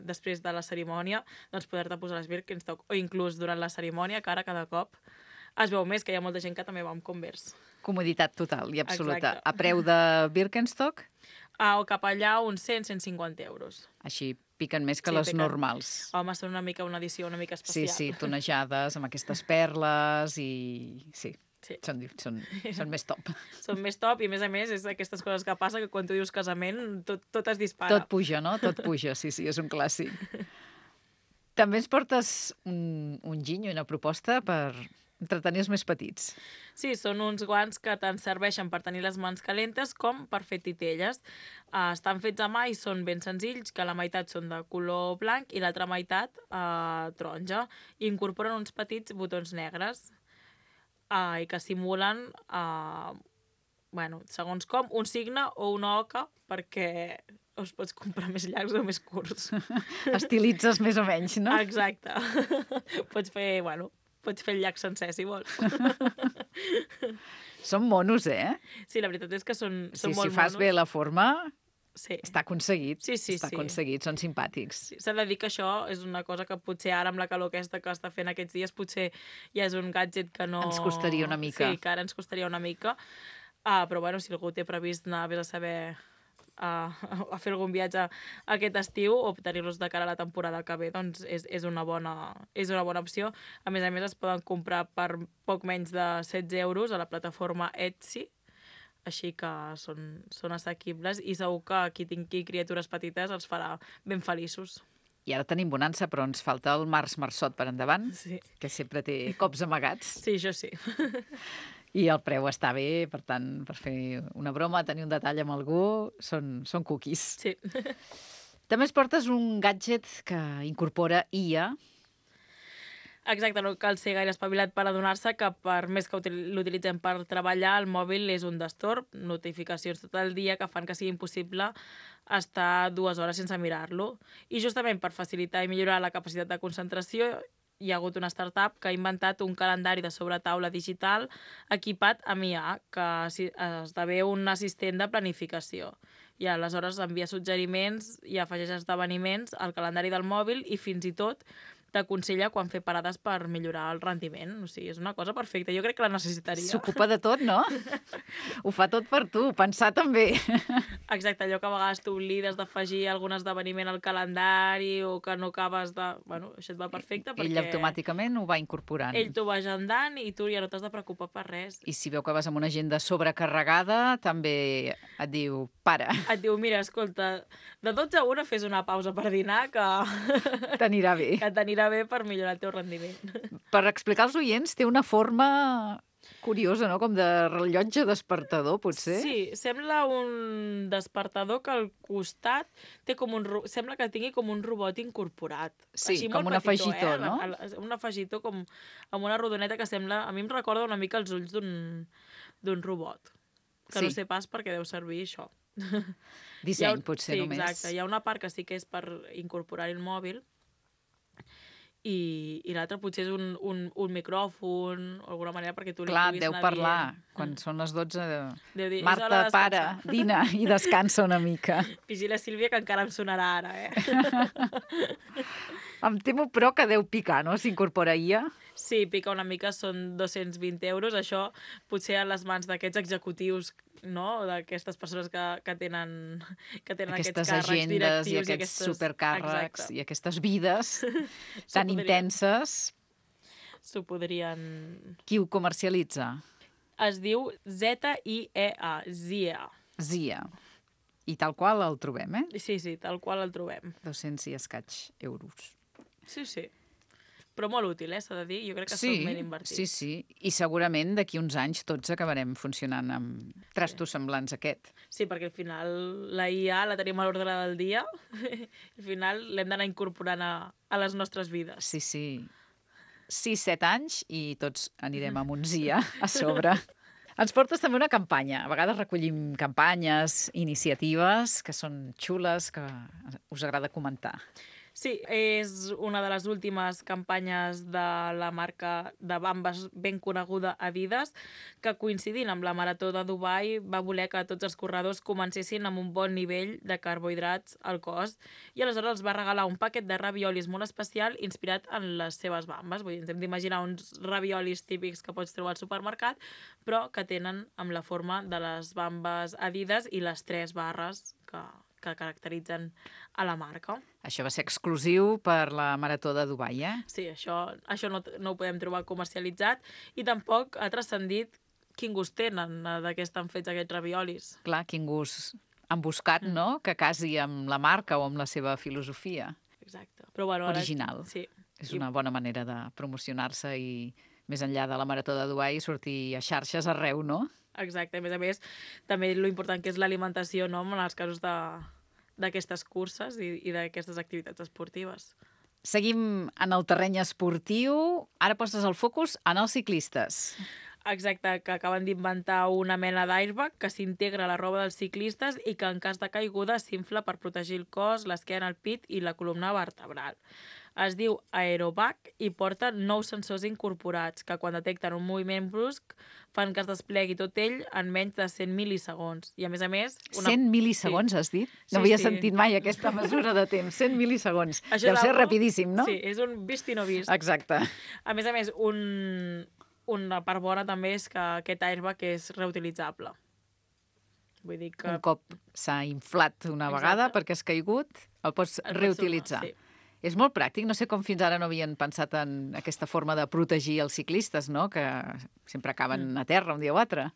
després de la cerimònia, doncs poder-te posar les Birkenstock, o inclús durant la cerimònia, que ara cada cop es veu més que hi ha molta gent que també va amb Converse. Comoditat total i absoluta. Exacte. A preu de Birkenstock? O cap allà uns 100-150 euros. Així piquen més que les normals. Home, són una edició una mica especial. Sí, tonejades, amb aquestes perles i... Sí. Són més top. Són més top i, a més, és aquestes coses que passa que quan tu dius casament tot es dispara. Tot puja, no? Tot puja, sí, és un clàssic. També ens portes un ginyo i una proposta per entretenir els més petits. Sí, són uns guants que tant serveixen per tenir les mans calentes com per fer titelles. Estan fets a mà i són ben senzills, que la meitat són de color blanc i l'altra meitat taronja. I incorporen uns petits botons negres i que simulen, segons com, un signe o una oca perquè els pots comprar més llargs o més curts. Estilitzes més o menys, no? Exacte. Pots fer el llac sencer, si vols. Són monos, Sí, la veritat és que són molt monos. Si fas bé la forma, està aconseguit. Sí. Està aconseguit, són simpàtics. Sí, s'ha de dir que això és una cosa que potser ara amb la calor aquesta que està fent aquests dies potser ja és un gadget que no... Ens costaria una mica. Sí, que ara ens costaria una mica. Però si algú té previst anar a saber a fer algun viatge aquest estiu o tenir-los de cara a la temporada que ve, doncs és una bona opció. A més, es poden comprar per poc menys de 16 euros a la plataforma Etsy, així que són assequibles i segur que qui tingui criatures petites els farà ben feliços. I ara tenim bonança, però ens falta el març marçot per endavant, que sempre té cops amagats. Sí, això sí. I el preu està bé, per tant, per fer una broma, tenir un detall amb algú, són cookies. Sí. També es portes un gadget que incorpora IA. Exacte, no cal ser gaire espavilat per adonar-se que per més que l'utilitzem per treballar, el mòbil és un destorb, notificacions tot el dia que fan que sigui impossible estar 2 hores sense mirar-lo. I justament per facilitar i millorar la capacitat de concentració, hi ha hagut una startup que ha inventat un calendari de sobretaula digital equipat amb IA, que esdevé un assistent de planificació. I aleshores envia suggeriments i afegeix esdeveniments al calendari del mòbil i fins i tot t'aconsella quan fer parades per millorar el rendiment. O sigui, és una cosa perfecta. Jo crec que la necessitaria. S'ocupa de tot, no? Ho fa tot per tu, pensar també. Exacte, allò que a vegades t'oblides d'afegir algun esdeveniment al calendari o que no acabes de... Bueno, això et va perfecte perquè... Ell automàticament ho va incorporant. Ell t'ho va agendant i tu ja no t'has de preocupar per res. I si veu que vas amb una agenda sobrecarregada, també et diu, para. Et diu, mira, escolta, de 12 a 1 fes una pausa per dinar que... T'anirà bé. Que t'anirà bé per millorar el teu rendiment. Per explicar als oients, té una forma Curiosa, no? Com de rellotge despertador, potser? Sí, sembla un despertador que al costat té com sembla que tingui com un robot incorporat. Sí, Així com molt un petitó, afegitó, no? Un afegitó com amb una rodoneta que sembla... A mi em recorda una mica els ulls d'un robot. Que Sí. no sé pas per què deu servir això. Disseny, potser, sí, només. Exacte. Hi ha una part que sí que és per incorporar-hi el mòbil i l'altre potser és un micròfon o alguna manera perquè tu li Clar, puguis deu anar parlar. dient. Quan són les 12, Deu dir, és Marta, hora de para, descansar. dina i descansa una mica. Vigila, Sílvia, que encara em sonarà ara, Em temo, però, que deu picar, no?, s'incorpora IA. Sí, pica una mica, són 220 euros. Això potser a les mans d'aquests executius, no?, d'aquestes persones que tenen Aquestes aquests càrrecs agendes directius i aquests supercàrrecs i aquestes vides tan intenses. S'ho podrien... Qui ho comercialitza? Es diu ZIEA, ZIEA. ZIA. I tal qual el trobem, eh? Sí, tal qual el trobem. 200 i escaig euros. Sí. Però molt útil, s'ha de dir. Jo crec que són ben invertits. Sí. I segurament d'aquí uns anys tots acabarem funcionant amb trastos semblants a aquest. Sí, perquè al final la IA la tenim a l'ordre del dia. Al final l'hem d'anar incorporant a les nostres vides. Sí. 6-7 anys i tots anirem amb un ZIA a sobre. Ens portes també una campanya. A vegades recollim campanyes, iniciatives que són xules, que us agrada comentar. Sí, és una de les últimes campanyes de la marca de bambes ben coneguda Adidas, que coincidint amb la Marató de Dubai va voler que tots els corredors comencessin amb un bon nivell de carbohidrats al cos i aleshores els va regalar un paquet de raviolis molt especial inspirat en les seves bambes. Vull dir, ens hem d'imaginar uns raviolis típics que pots trobar al supermercat, però que tenen amb la forma de les bambes Adidas i les 3 barres que caracteritzen a la marca. Això va ser exclusiu per la Marató de Dubai, eh? Sí, això no ho podem trobar comercialitzat i tampoc ha transcendit quin gust tenen de què estan fets aquests raviolis. Clar, quin gust han buscat, no?, que casi amb la marca o amb la seva filosofia. Exacte. Però, bueno, ara... Original. Sí. És una bona manera de promocionar-se i, més enllà de la Marató de Dubai, sortir a xarxes arreu, no? Exacte. A més, també l'important que és l'alimentació, no?, en els casos d'aquestes curses i d'aquestes activitats esportives. Seguim en el terreny esportiu. Ara poses el focus en els ciclistes. Exacte, que acaben d'inventar una mena d'airbag que s'integra a la roba dels ciclistes i que en cas de caiguda s'infla per protegir el cos, l'esquena, el pit i la columna vertebral. Es diu Aerobag i porta 9 sensors incorporats que quan detecten un moviment brusc fan que es desplegui tot ell en menys de 100 mil·lisegons. I a més... 100 mil·lisegons, has dit? No havia sentit mai aquesta mesura de temps. 100 mil·lisegons. Deu ser rapidíssim, no? Sí, és un vist i no vist. Exacte. A més, una part bona també és que aquest airbag és reutilitzable. Vull dir que... Un cop s'ha inflat una vegada perquè has caigut, el pots reutilitzar. Sí. És molt pràctic. No sé com fins ara no havien pensat en aquesta forma de protegir els ciclistes, no?, que sempre acaben a terra un dia o altre.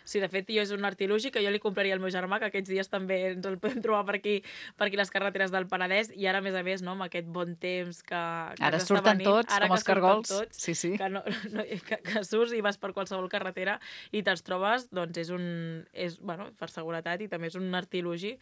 Sí, de fet, és un artilugi que jo li compraria al meu germà, que aquests dies també ens el podem trobar per aquí les carreteres del Penedès, i ara, a més, no, amb aquest bon temps que ara surten tots, com els cargols. Sí. Que surts i vas per qualsevol carretera i te'ls trobes, doncs és per seguretat, i també és un artilugi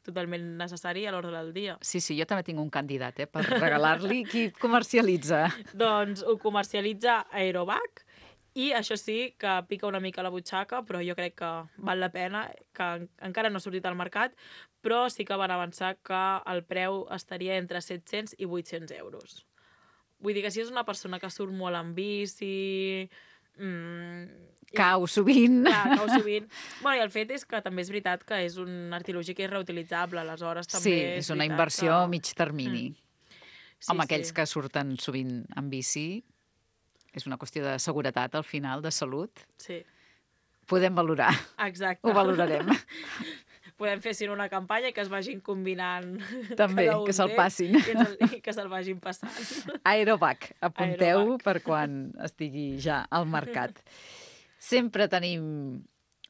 totalment necessari a l'ordre del dia. Sí, jo també tinc un candidat, per regalar-li. Qui comercialitza? Doncs ho comercialitza Aerobag, i això sí que pica una mica la butxaca, però jo crec que val la pena, que encara no ha sortit al mercat, però sí que van avançar que el preu estaria entre 700 i 800 euros. Vull dir que si és una persona que surt molt en bici... Cau sovint. Cau sovint. Bueno, i el fet és que també és veritat que és un artilugi que és reutilitzable, aleshores també és una inversió a mig termini. Amb aquells que surten sovint en bici, és una qüestió de seguretat, al final, de salut. Sí. Podem valorar. Exacte. Ho valorarem. Podem fer una campanya i que es vagin combinant. També, que se'l passin. I que se'l vagin passant. Aerobag, apunteu per quan estigui ja al mercat. Sempre tenim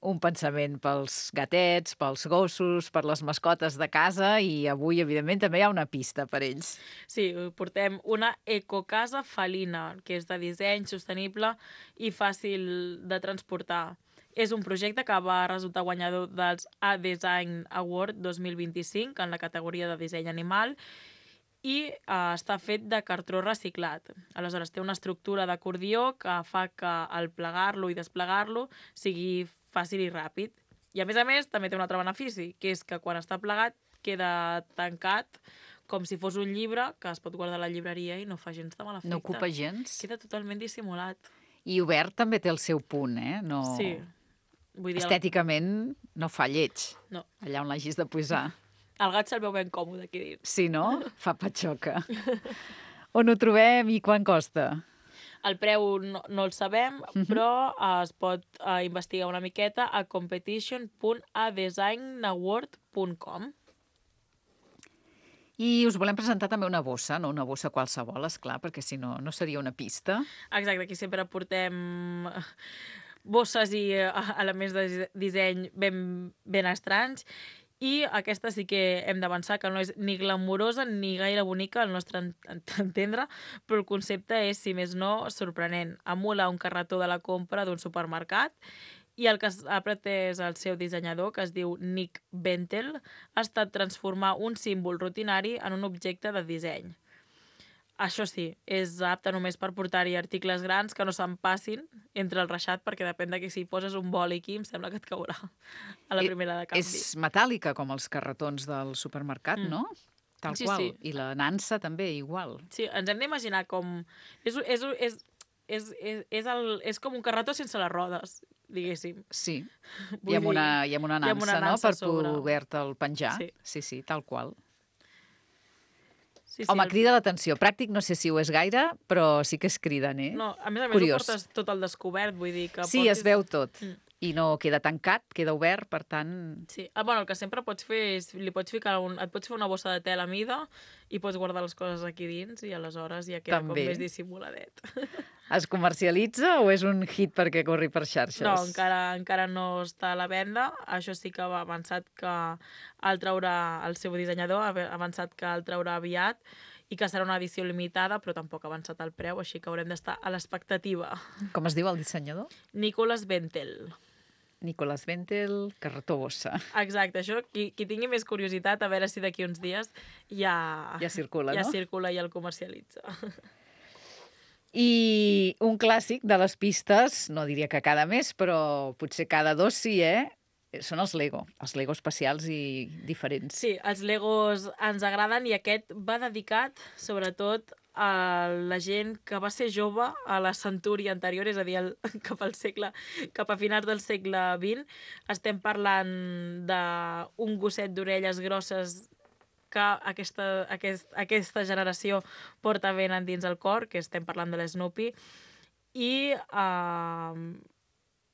un pensament pels gatets, pels gossos, per les mascotes de casa i avui, evidentment, també hi ha una pista per ells. Sí, portem una ecocasa felina, que és de disseny sostenible i fàcil de transportar. És un projecte que va resultar guanyador dels A-Design Award 2025 en la categoria de disseny animal i està fet de cartró reciclat. Aleshores, té una estructura d'acordió que fa que al plegar-lo i desplegar-lo sigui fàcil i ràpid. I a més, també té un altre benefici, que és que quan està plegat queda tancat com si fos un llibre que es pot guardar a la llibreria i no fa gens de mal efecte. No ocupa gens. Queda totalment dissimulat. I obert també té el seu punt, eh? No... Sí. Vull dir, estèticament no fa lleig. No. Allà on l'hagis de posar. El gat se'l veu ben còmode aquí dins. Sí, no? Fa patxoca. On ho trobem i quan costa? El preu no el sabem, però es pot investigar una miqueta a competition.adesignaward.com. I us volem presentar també una bossa, no una bossa qualsevol, esclar, perquè si no, no seria una pista. Exacte, aquí sempre portem bosses i elements de disseny ben estranys. I aquesta sí que hem d'avançar, que no és ni glamurosa ni gaire bonica al nostre entendre, però el concepte és, si més no, sorprenent. Emula un carretó de la compra d'un supermercat i el que ha pretès el seu dissenyador, que es diu Nick Bentel, ha estat transformar un símbol rutinari en un objecte de disseny. Això sí, és apte només per portar-hi articles grans que no se'n passin entre el reixat, perquè depèn de que si poses un boli aquí em sembla que et caurà a la primera de canvi. És metàl·lica, com els carretons del supermercat, no? Tal qual. Sí. I la nansa també, igual. Sí, ens hem d'imaginar com... És com un carretó sense les rodes, diguéssim. Sí, i amb una nansa, no?, per poder-te'l penjar. Sí, tal qual. Sí, home, crida l'atenció. Pràctic no sé si ho és gaire, però sí que és criden, eh? No, a més Curiós. ho portes tot al descobert, vull dir que... Sí, es veu tot. I no queda tancat, queda obert, per tant... Sí, el que sempre pots fer és... et pots fer una bossa de tela a mida i pots guardar les coses aquí dins i aleshores ja queda com més dissimuladet. Es comercialitza o és un hit perquè corri per xarxes? No, encara no està a la venda. Això sí que va avançat que el traurà el seu dissenyador, ha avançat que el traurà aviat i que serà una edició limitada, però tampoc ha avançat el preu, així que haurem d'estar a l'expectativa. Com es diu el dissenyador? Nicolas Bentel. Nicolas Bentel, carretó bossa. Exacte, això, qui tingui més curiositat, a veure si d'aquí uns dies ja circula, no? Ja circula i el comercialitza. I un clàssic de les pistes, no diria que cada mes, però potser cada 2 sí, són els Lego especials i diferents. Sí, els Legos ens agraden i aquest va dedicat, sobretot, a la gent que va ser jove a la centúria anterior, és a dir, cap a finals del segle XX. Estem parlant d'un gosset d'orelles grosses que aquesta generació porta ben endins el cor, que estem parlant de l'Snoopy, i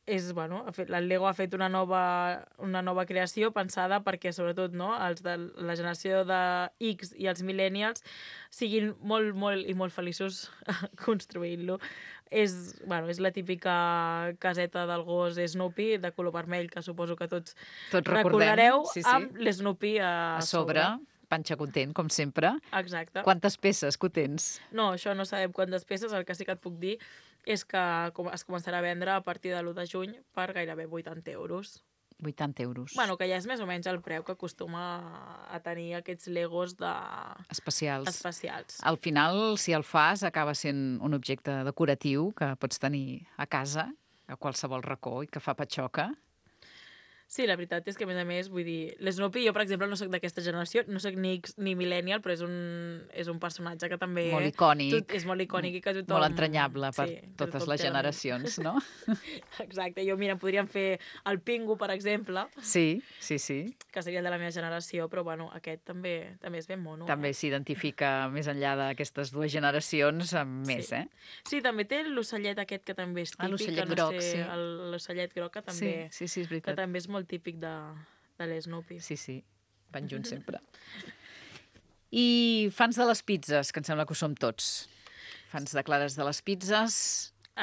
el Lego ha fet una nova creació pensada perquè, sobretot, els de la generació de X i els millennials siguin molt, molt i molt feliços construint-lo. És la típica caseta del gos Snoopy de color vermell, que suposo que tots recordareu, amb l'Snoopy a sobre. Panxa content, com sempre. Exacte. Quantes peces que ho tens? No, això no sabem quantes peces. El que sí que et puc dir és que es començarà a vendre a partir de l'1 de juny per gairebé 80 euros. 80 euros. Bueno, que ja és més o menys el preu que acostuma a tenir aquests Legos especials. Especials. Al final, si el fas, acaba sent un objecte decoratiu que pots tenir a casa, a qualsevol racó, i que fa patxoca. Sí, la veritat és que, a més, vull dir, l'Snoopy, jo, per exemple, no soc d'aquesta generació, no soc ni X ni millennial, però és un personatge que també... Molt icònic. És molt icònic i que tothom... Molt entranyable per totes les generacions, no? Exacte. Jo, mira, podríem fer el Pingu, per exemple. Sí. Que seria de la meva generació, però, bueno, aquest també és ben mono. També s'identifica més enllà d'aquestes dues generacions amb més, Sí, també té l'ocellet aquest que també és típic. L'ocellet groc, sí. L'ocellet groc que també... Sí, és veritat. Que també és molt típic de l'Snoopy. Sí, van junts sempre. I fans de les pizzas, que em sembla que ho som tots. Fans de clares de les pizzas.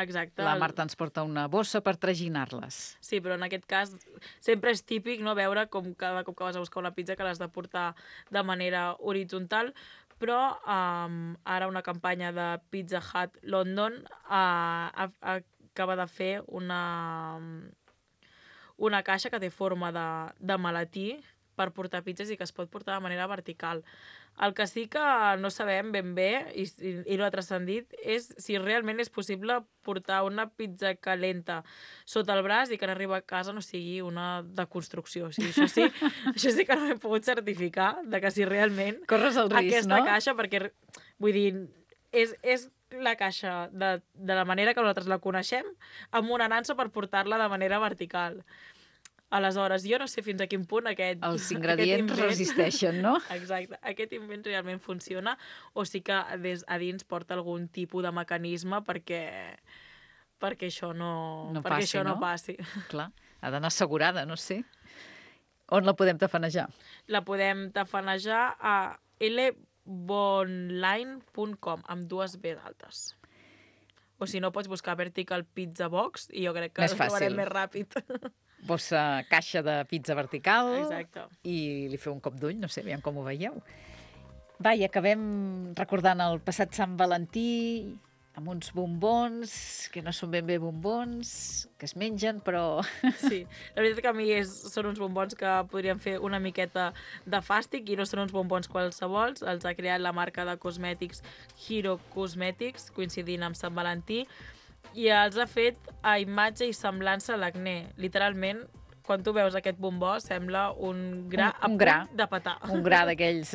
Exacte. La Marta ens porta una bossa per traginar-les. Sí, però en aquest cas sempre és típic no veure com cada cop que vas a buscar una pizza que l'has de portar de manera horitzontal, però ara una campanya de Pizza Hut London acaba de fer una caixa que té forma de maletí per portar pizzas i que es pot portar de manera vertical. El que sí que no sabem ben bé, i no ha transcendit, és si realment és possible portar una pizza calenta sota el braç i que en arriba a casa no sigui una deconstrucció. O sigui, això sí que no hem pogut certificar de que si realment corres el risc, aquesta no? caixa, perquè, vull dir, és la caixa de la manera que nosaltres la coneixem amb una nansa per portar-la de manera vertical. Aleshores, jo no sé fins a quin punt els ingredients resisteixen, no? Exacte. Aquest invent realment funciona o sí que a dins porta algun tipus de mecanisme perquè això no passi. Clar, ha d'anar assegurada, no sé. On la podem tafanejar? La podem tafanejar a lbonline.com amb 2 B d'altes. O si no, pots buscar Vertical Pizza Box i jo crec que ho trobarem més ràpid. Bossa caixa de pizza vertical. Exacte. I li feu un cop d'ull, no sé, aviam com ho veieu. Va, i acabem recordant el passat Sant Valentí amb uns bombons, que no són ben bé bombons, que es mengen, però... Sí, la veritat que a mi són uns bombons que podrien fer una miqueta de fàstic i no són uns bombons qualsevols. Els ha creat la marca de cosmètics Hero Cosmetics, coincidint amb Sant Valentí, i els ha fet a imatge i semblança a l'acné. Literalment, quan tu veus aquest bombó, sembla un gra a punt de petar. Un gra d'aquells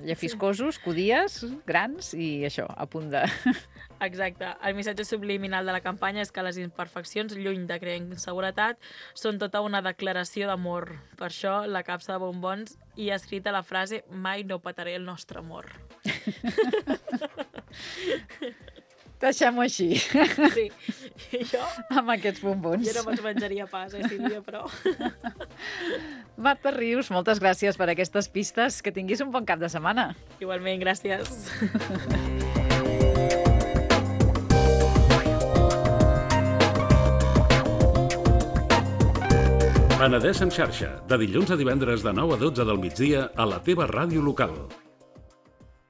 llefiscosos, codies, grans, i això, a punt de... Exacte. El missatge subliminal de la campanya és que les imperfeccions, lluny de crear inseguretat, són tota una declaració d'amor. Per això, la capsa de bombons hi ha escrita la frase «Mai no petaré el nostre amor». Deixem-ho així. Sí. I jo... Amb aquests bombons. Jo no me'ls menjaria pas, Sílvia, però... Marta Rius, moltes gràcies per aquestes pistes. Que tinguis un bon cap de setmana. Igualment, gràcies. Penedès en xarxa, de dilluns a divendres de 9 a 12 del migdia a la teva ràdio local.